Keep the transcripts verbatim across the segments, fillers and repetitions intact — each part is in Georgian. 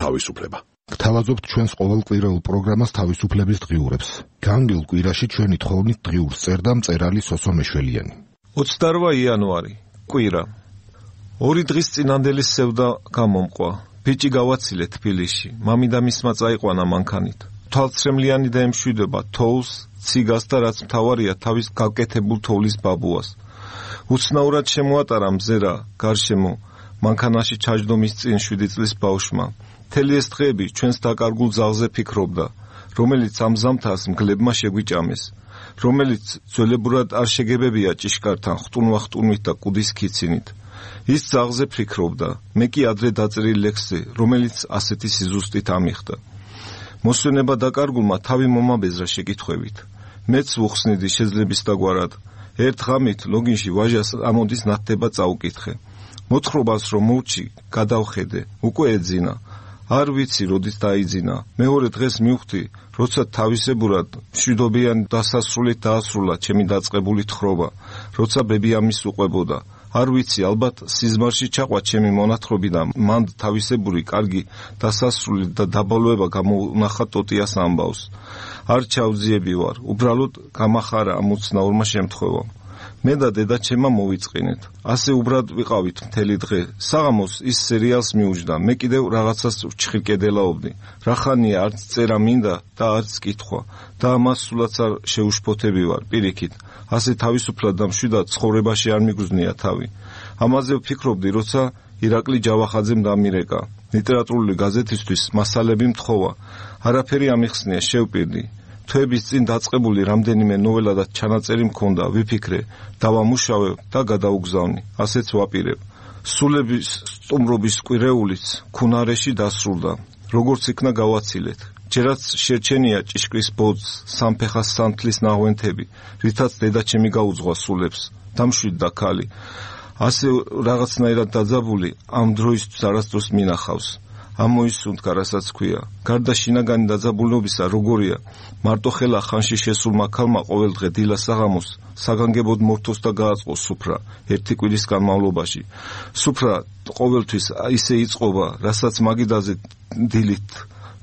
თავისუფლება. გთავაზობთ ჩვენს ყოველკვირეულ პროგრამას თავისუფლების დღიურებს. განგილ კვირაში ჩვენი თხოვნით დღიურს წერდა მწერალი სოსო მეშველიანი. ოცდაოთხი იანვარი, კვირა. ორი დღის წინანდელი სევდა გამომყვა. ბიჭი გავაცილე თბილისში. მამიდა მისმა წაიყვანა მანქანით. თვალცრემლიანი და ემშვიდობა თოვლს, ციგას და რაც მთავარია თავის გაკეთებულ თოვლის ბაბუას. უცნაურად შემოატარა მზერა გარშემო მანქანაში ჩაჯდომის წინ შვიდი წლის ბავშვმა. მთელი ეს დღეები ჩვენს დაკარგულ ძალზე ფიქრობდა, რომელიც ამ ზამთარს მგლებმა შეგვიჭამეს, რომელიც ძველებურად არ შეგებებია ჭიშკართან ხტუნვა-ხტუნვით და კუდის ქიცინით. ის ძალზე ფიქრობდა, მე კი ადრე დაწერილ ლექსზე, რომელიც ასეთი სიზუსტით ამიხდა. მოსვენება დაკარგულმა თავი მომაბეზრა შეკითხვებით. მეც ვუხსნიდი შეძლების დაგვარად. ერთ ღამით ლოგინში ვაჟას ამოდის ნათდება წაუკითხე. მოთხრობას რომ მოვჭი, გადავხედე, უკვე ეძინა. არ ვიცი როდის დაიძინა. მეორე დღეს მივხვდი, როცა თავისებურად მშვიდობიან დასასრულით დაასრულა ჩემი დაწყებული თხრობა, როცა ბები ამის უყვებოდა. არ ვიცი, ალბათ სიზმარში ჩაყვა ჩემი მონათხრობი და მანდ თავისებური კარგი დასასრული და დაბოლოება გამოუნახა ტოტიას ამბავს. არ ჩავძიები ვარ, უბრალოდ გამახარა ამ უცნაურმა შემთხვევამ. მე და დედა ჩემმა მოვიწყინეთ. ასე უბრად ვიყავით მთელი დღე. საღამოს ის სერიალს მიუჯდა. მე კიდევ რაღაცას ვჩხირკედელაობდი. რახანია არც წერა მინდა და არც კითხვა. და ამას სულაც არ შეუშფოთები ვარ, პირიქით. ასე თავისუფლად და მშვიდად ცხოვრებაში არ მიგრძნია თავი. ამაზე ვფიქრობდი, როცა ირაკლი ჯავახაძემ დამირეკა. ლიტერატურული გაზეთისთვის მასალები მთხოვა. არაფერი ამიხსნია, შევპირდი. თვეების წინ დაწყებული რამდენიმე ნოველა და ჩანაწერი მქონდა, ვიფიქრე, დავამუშავებ და გადაუგზავნი. ასეც ვაპირებ. სულების სტუმრობის კვირეულიც ქუნარეში დასრულდა. როგორც იქნა გავაცილეთ. ჯერაც შერჩენია ჭიშკრის ბოძს, სამფეხას სანთლის ნაღვენთები, რითაც დედაჩემი გაუძღვა სულებს. დამშვიდდა ქალი. ასე რაღაცნაირად დაძაბული ამ დროისთვის არასდროს მინახავს. ამოისუნთქა, რასაც ქვია. გარდა შინაგანი დაძაბულობისა, როგორია, მარტოხელა ხანში შესულმა ქალმა ყოველ დღე დილა საღამოს საგანგებოდ მორთოს და გააწყოს სუფრა ერთი კვირის განმავლობაში. სუფრა ყოველთვის ისე იწყობა, რასაც მაგიდაზე დილით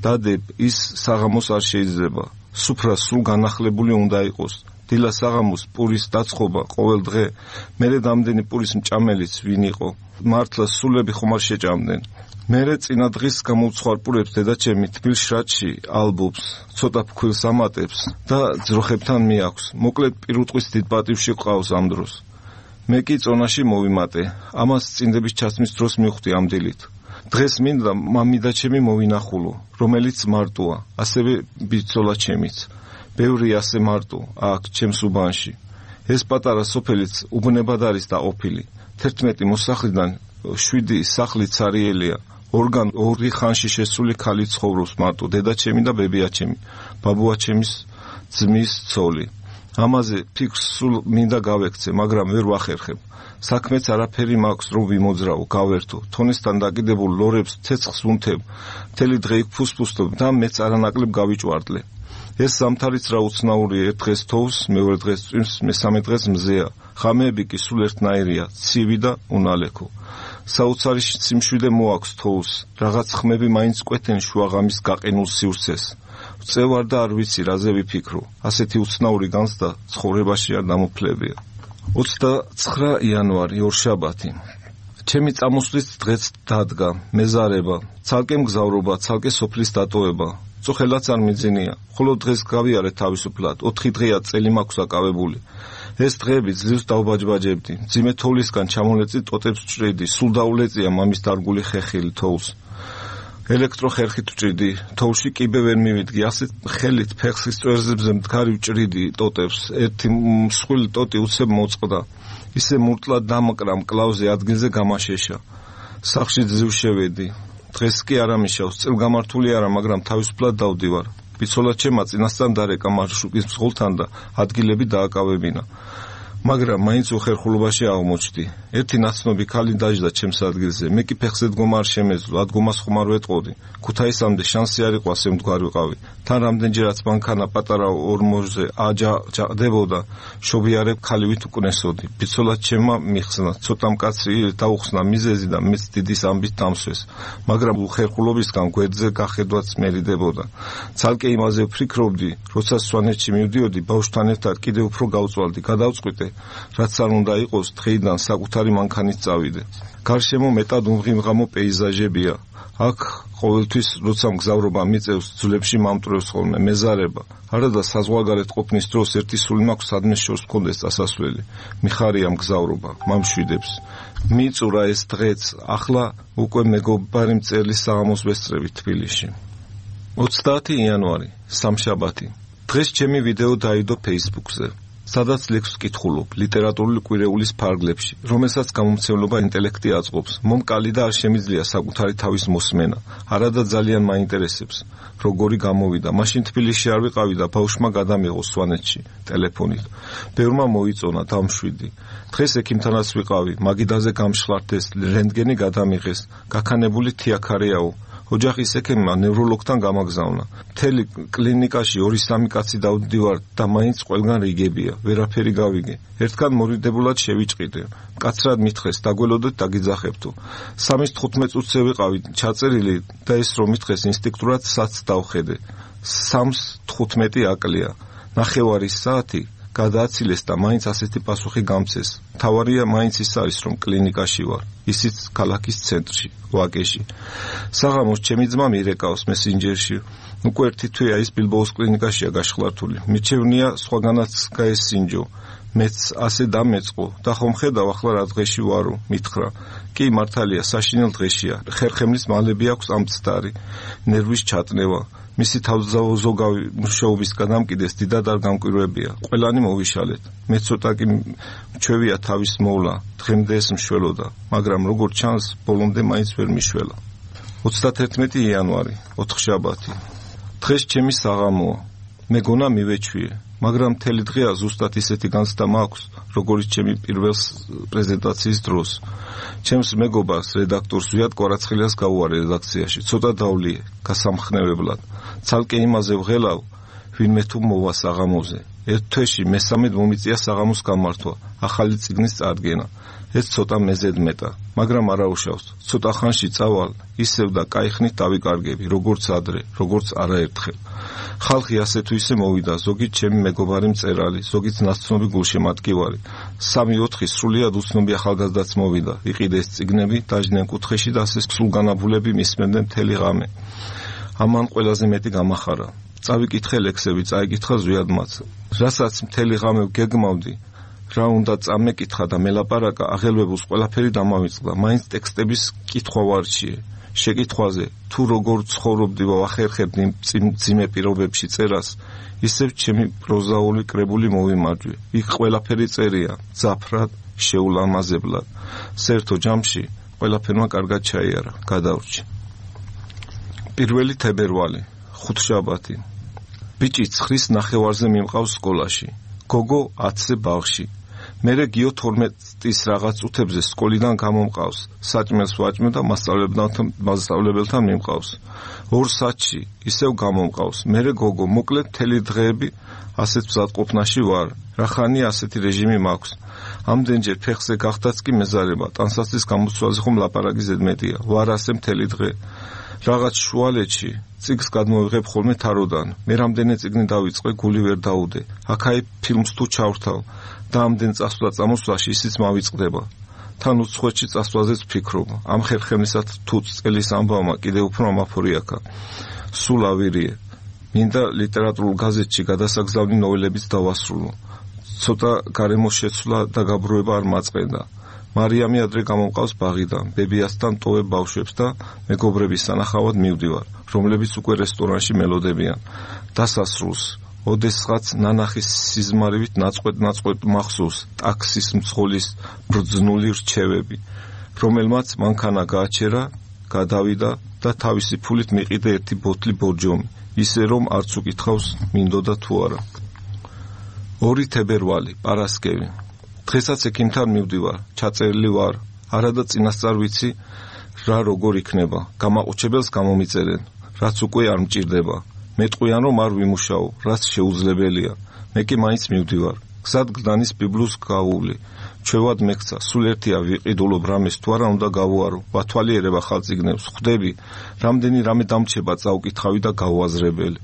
დადებ, ის საღამოს არ შეიძლება. სუფრა სულ განახლებული უნდა იყოს. დილა საღამოს პურის დაწყობა ყოველ დღე, მერე დამდენი პურის მჭამელიც ვინ იყო. მართლა სულები ხომ არ შეჭამდნენ. მერე წინა დღის გამოვცხვარპურებს დედაჩემი თბილ შრატში ალბობს, ცოტა ფქვილს ამატებს და ძროხებთან მიაქვს. მოკლედ პირუტყვის დიდ პატივში ყავს ამ დროს. მე კი წონაში მოვიმატე. ამას წინდების ჩაცმის დროს მივხვდი ამ დილით. დღეს მინდა მამიდაჩემი მოვინახულო, რომელიც მარტოა, ასევე ბიძოლა ჩემიც. ბევრი ასე მარტო აქ ჩემს უბანში. ეს პატარა სოფელიც უბნებად არის დაყოფილი. თერთმეტი მოსახლიდან შვიდი სახლი цаრიელია. ორგან ორი ხანში შესული ქალი ცხოვრობს მარტო, დედაჩემი და ბებიაჩემი, ბაბუაჩემის ძმის ცოლი. ამაზე ფიქრს სულ მინდა გავექცე, მაგრამ ვერ ვახერხებ. საქმეც არაფერი მაქვს რომ ვიმოძრავო, გავერთო. თონესთან დაკიდებულ ლორებს ცეცხლს ვუნთებ. მთელი დღე იქ ფუსფუსტობ და მეც არანაკლებ გავიჭვარდლე. ეს ზამთარიც რა უცნაურია, ერთ დღეს თოვს, მეორე დღეს წვიმს, მესამე დღეს მზეა. ღამეები კი სულ ერთნაირია, ცივი და უნალექო. საოცარი სიმშვიდე მოაქვს თოვს, რაღაც ხმები მაინც კვეთენ შუაღამის გაყინულ სივრცეს. ვწევარ და არ ვიცი რაზე ვიფიქრო. ასეთი უცნაური განცდა ცხოვრებაში არ დამოფლებია. ოცდაცხრა იანვარი, ორშაბათი. ჩემი წამოსვლის დღეც დადგა, მეზარება, ცალკე მგზავრობა, ცალკე სოფლის დატოვება. წუხელაც არ მიძინია. ხოლო დღეს გავიარე თავისუფლად, ოთხი დღეა წელი მაქვს აკავებული. ეს დღეები ძლივს დავბაჯბაჯებდი. მძიმე თოვლისგან ჩამოლეწი ტოტებს ვჭრიდი, სულ დაულეწია მამის დარგული ხეხილი თოვლს. ელექტროხერხით ვჭრიდი, თოვლში კიბე ვერ მივიდგი, ასეთ ხელით ფეხის წვერებზე მდგარი ვჭრიდი ტოტებს. ერთი მსხვილი ტოტი უცებ მოწყდა. ისე მურტლად დამკრა მკლავზე, ადგილზე გამაშეშა. სახლში ძლივ შევედი. დღეს კი არ ამიშავს, წელგამართული არა, მაგრამ თავისუფლად დავდივარ. ბიცოლა ჩემა წინასწარ დარეკა მარშრუტის მსხოლთან და ადგილები დააკავებინა. მაგრამ მაინც უხერხულობაში აღმოჩნდი. ერთი ნაცნობი ქალი დაждდა ჩემს ადგილზე. მე კი ფეხზე დგომა არ შემეძლო, ადგომას ხომ არ ვეტყოდი. ქუთაისამდე შანსი არ იყო ასე მდგარ ვიყავი. თან რამდენჯერაც მანქანა პატარა ორმოჟზე აჯაყდებოდა, შობიარებ ქალივით უკნესოდი. ბიცოლად ჩემმა მიხსნა, ცოტა მკაცრი დაუხსნა მიზეზი და მეც დიდის ამბით დამსვეს. მაგრამ უხერხულობისგან გვერდზე გახედვაც მერიდებოდა. ცალკე იმაზე ვფიქრობდი, როცა სვანეთში მივდიოდი, ბავშვთან ერთად კიდევ უფრო გავწვალდი, გადავწყვიტე, რაც არ უნდა იყოს, დღეიდან საკუთარი მანქანით წავიდე. გარშემო მეტად უმღიმღამო პეიზაჟებია. აქ ყოველთვის როცა მგზავრობა მიწევს, ძვლებში მომტრევს ხოლმე მეზარება. არადა საზღვარგარეთ ყოფნის დროს ერთი სული მაქვს სადმეს შორს მქონდეს წასასვლელი. მიხარია მგზავრობა, მამშვიდებს. მიწურა ეს დღეც, ახლა უკვე მეგობარი მწერლის საღამოს ვესწრებით თბილისში. ოცდაათი იანვარი, სამშაბათი. დღეს ჩემი ვიდეო დაიდო Facebook-ზე. სადაც ლექსს ვკითხულობ ლიტერატურული კვირეულის ფარგლებში, რომელსაც გამომცემლობა ინტელექტი აწყობს. მომკალი და არ შემიძლია საკუთარი თავის მოსმენა. არადა ძალიან მაინტერესებს, როგორი გამოვიდა. მაშინ თბილისში არ ვიყავი და ბავშვმა გადამიღო სვანეთში ტელეფონით. ბევრმა მოიწონა, დამშვიდი. დღეს ექიმთანაც ვიყავი, მაგიდაზე გამშლარდეს, რენტგენი გადამიღეს, გაქანებული თიაქარეაო. ოჯახის ექიმმა ნევროლოგთან გამაგზავნა. მთელი კლინიკაში ორი-სამი კაცი დავდივარ და მაინც ყველგან რიგებია, ვერაფერი გავიგე. ერთგან მორიდებულად შევიჭყიდე. მკაცრად მითხეს, დაგველოდეთ დაგიძახებთო. სამის თხუთმეტ წუთზე ვიყავი ჩაწერილი და ეს რომ მითხეს ინსტინქტურად საცს დავხედე. სამს თხუთმეტი აკლია. ნახევარი საათი გადააცილეს და მაინც ასეთი პასუხი გამცეს. თავარია მაინც ის არის, რომ კლინიკაში ვარ, ისიც ქალაქის ცენტრში, ვაკეში. საღამოს ჩემი ძმა მირეკავს მესენჯერში. უკვე ერთი თვეა ის ბილბოოს კლინიკაშია გაშხლართული. მიჩევნია სხვაგანაც გაესინჯო. მეც ასე დამეწყო და ხომ ხედავ ახლა რა დღეში ვარო, მითხრა. კი მართალია, საშინელ დღეშია. ხერხემლის მალები აქვს ამცდარი, ნერვის ჩატნევა. მისი თავზავზოგავი მუშაობის გადამკიდეს დიდად არ გამკვირვებია. ყველანი მოვიშალეთ. მე ცოტა კი მჩვევია თავის მოვლა, დღემდე ეს მშველოდა, მაგრამ როგორც ჩანს, ბოლომდე მაინც ვერ მიშველა. ოცდათერთმეტი იანვარი, ოთხშაბათი. დღეს ჩემი საღამოა. მეგონა მივეჩვიე, მაგრამ მთელი დღეა ზუსტად ისეთი განცდა მაქვს, როგორც ჩემი პირველ პრეზენტაციის დროს. ჩემს მეგობარს, რედაქტორს ზვიად კვარაცხელიას გავუარე რედაქციაში, ცოტა დავლიე, გასამხნევებლად. ცალკე იმაზე ვღელავ, ვინმე თუ მოვა საღამოზე. ერთ თვეში მესამედ მომიწია საღამოს გამართვა, ახალი წიგნის წარდგენა. ეს ცოტა მეზედ მეტა, მაგრამ არაუშავს. ცოტა ხანში წავალ, ისევ და კაიხნით დავიკარგები, როგორც ადრე, როგორც არაერთხელ. ხალხი ასე თუ ისე მოვიდა, ზოგიც ჩემი მეგობარი მწერალი, ზოგიც ნაცნობი გულშემატკივარი. სამი-ოთხი სრულიად უცნობი ახალგაზრდაც მოვიდა, იყიდეს წიგნები, დაждდნენ კუთხეში და ასე სულგანაბულები მისმენდნენ მთელი ღამე. ამან ყველაზე მეტი გამახარა. წავიკითხე ლექსები, წაიკითხა ზვიად მათ. რასაც მთელი ღამე გეგმავდი, რა უნდა წამეკითხა და მელაპარაკა, აღელვებულს ყველაფერი დამავიწყდა. მაინც ტექსტების კითხვა ვარჩიე. შეკითხვაზე, თუ როგორ ცხოვრობდი ვახერხებდი მძიმე პირობებში წერას, ისევ ჩემი პროზაული კრებული მოვიმარჯვე. იქ ყველაფერი წერია, ძაფრად, შეულამაზებლად. საერთო ჯამში ყველაფერმა კარგად ჩაიარა, გადავრჩი. პირველი თებერვალი, ხუთშაბათი. ბიჭი ცხრის ნახევარზე მიმყავს სკოლაში. გოგო ათზე ბაღში. მერე გიო თორმეტის რაღაც წუთებზე სკოლიდან გამომყავს. საჭმელს ვაჭმევ და მასწავლებელთან მიმყავს. ორ საათში ისევ გამომყავს. მერე გოგო, მოკლედ მთელი დღეები ასეთ მზადყოფნაში ვარ. რახანია ასეთი რეჟიმი მაქვს. ამდენჯერ ფეხზე გახდაც კი მეზარება. ტანსაცლის გამოცვალზე ხომ ლაპარაკი ზედმეტია. ვარ ასე მთელი დღე. რაღაც შუალედში წიგს გადმოვიღებ ხოლმე თაროდან. მე რამდენი წიგნი დავიწყე, გული ვერ დაუდე. აქაი ფილმს თუ ჩავრთავ და ამდენ წასვლა წამოსვლაში ისიც მავიწყდება. თან უცხოეთში წასვლაზეც ვფიქრობ. ამ ხერხემლისათ თუ წელის ამბავმა კიდევ უფრო ამაფორიაკა. სულ ავირიე. მინდა ლიტერატურულ გაზეთში გადასაგზავნი ნოველებიც დავასრულო. ცოტა გარემოს შეცვლა და გაბრუება არ მაწყენდა. მარიამი ადრე გამომყავს ბაღიდან, ბებიასთან ტოვებ ბავშვებს და მეგობრების სანახავად მივდივარ, რომლებიც უკვე რესტორანში მელოდებიან. დასასრულს, ოდესღაც ნანახის სიზმარივით ნაწყვეტ-ნაწყვეტ მახსოვს ტაქსის მძღოლის ბრძნული რჩევები, რომელმაც მანქანა გააჩერა, გადავიდა და თავისი ფულით მიყიდა ერთი ბოთლი ბორჯომი, ისე რომ არც უკითხავს მინდოდა თუ არა. ორი თებერვალი, პარასკევი. დღესაც ექიმთან მივდივარ, ჩაწერილი ვარ, არა და წინასწარ ვიცი რა როგორ იქნება. გამაყუჩებელს გამომიწერენ, რაც უკვე არ მჭირდება. მეტყვიან რომ არ ვიმუშაო, რაც შეუძლებელია. მე კი მაინც მივდივარ. გზად გდანის ბიბლუს გავული. ჩვევად მეკცა, სულ ერთია ვიყიდულობ რამეს თუ არა უნდა გავუარო. ვათვალიერება ხალწიგნებს, ხვდები, რამდენი რამე დამრჩება წავკითხავი და გავუაზრებელი.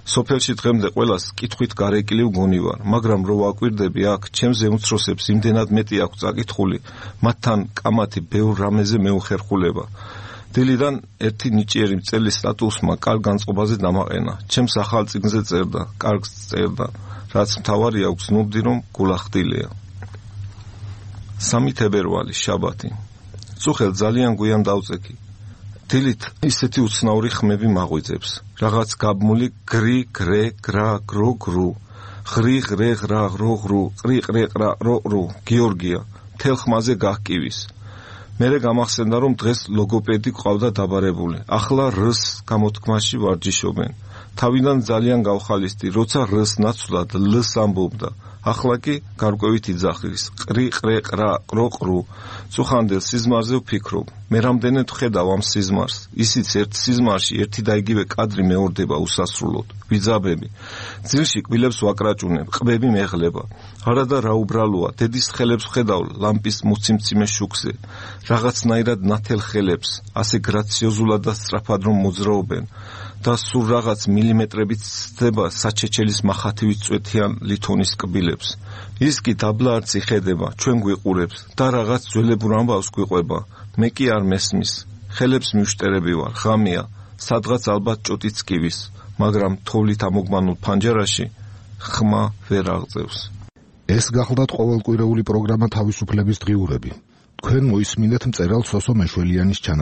სოფელში დღემდე ყველას კითხვით გარეკილი ვგონი ვარ, მაგრამ რო ვაკვირდები აქ, ჩემზე უმცროსებს იმდენად მეტი აქვს წაკითხული, მათთან კამათი ბევრ რამეზე მეუხერხულება. დილიდან ერთი ნიჭიერი მწერლის სტატუსმა კარგ განწყობაზე დამაყენა. ჩემს ახალ წიგნზე წერდა, კარგს წერდა, რაც მთავარი აქვს ნუბდი რომ გულახდილია. სამი თებერვალი, შაბათი. წუხელ ძალიან გვიან დავწექი. დილით ისეთი უცნაური ხმები მაღვიძებს. რაღაც გაბმული გრი, გრე, გრა, გრო, გრუ. ღრი, ღრე, ღრა, ღრო, ღრუ, ყრი, ყრე, ყრა, რო, რო. გიორგია, მთელ ხმაზე გահკივის. მერე გამახსენდა რომ დღეს ლოგოპედი ყავდა დაბარებული. ახლა რს გამოთქმაში ვარჯიშობენ. თავიდან ძალიან გავხალისდი, როცა რს ნაცვლად ლს ამბობდა. ახლა კი გარკვევით იძახის. ყრი, ყრე, ყრა, ყრო, ყრუ. წუხანდელ სიზმარზე ვფიქრობ. მე რამდენად ვხედავ ამ სიზმარს. ისიც ერთ სიზმარში ერთი და იგივე კადრი მეორდება უსასრულოდ. ვიძაბები. ძილში კბილებს ვაკრაჭუნებ, ყბები მეღლება. არადა რა უბრალოა, დედის ხელებს ვხედავ ლამპის მუციმციმე შუქზე. რაღაცნაირად ნათელ ხელებს, ასე გრაციოზულად და სწრაფად რომ მოძრაობენ. და სულ რაღაც მილიმეტრებით ცდება საჩეჩელის მახათივით წვეთიან ლითონის კბილებს. ის კი დაბლა არც იხედება, ჩვენ გვიყურებს და რაღაც ძველებურ ამბავს გვიყვება. მე კი არ მესმის. ხელებს მივშტერები ვარ, ღამეა, სადღაც ალბათ ჭოტიც კივის, მაგრამ თოვლით ამოგმანულ ფანჯარაში ხმა ვერ აღწევს. ეს გახლდათ ყოველკვირეული პროგრამა თავისუფლების დღიურები. თქვენ მოისმინეთ მწერალ სოსო მეშველიანის ჩანაწერი.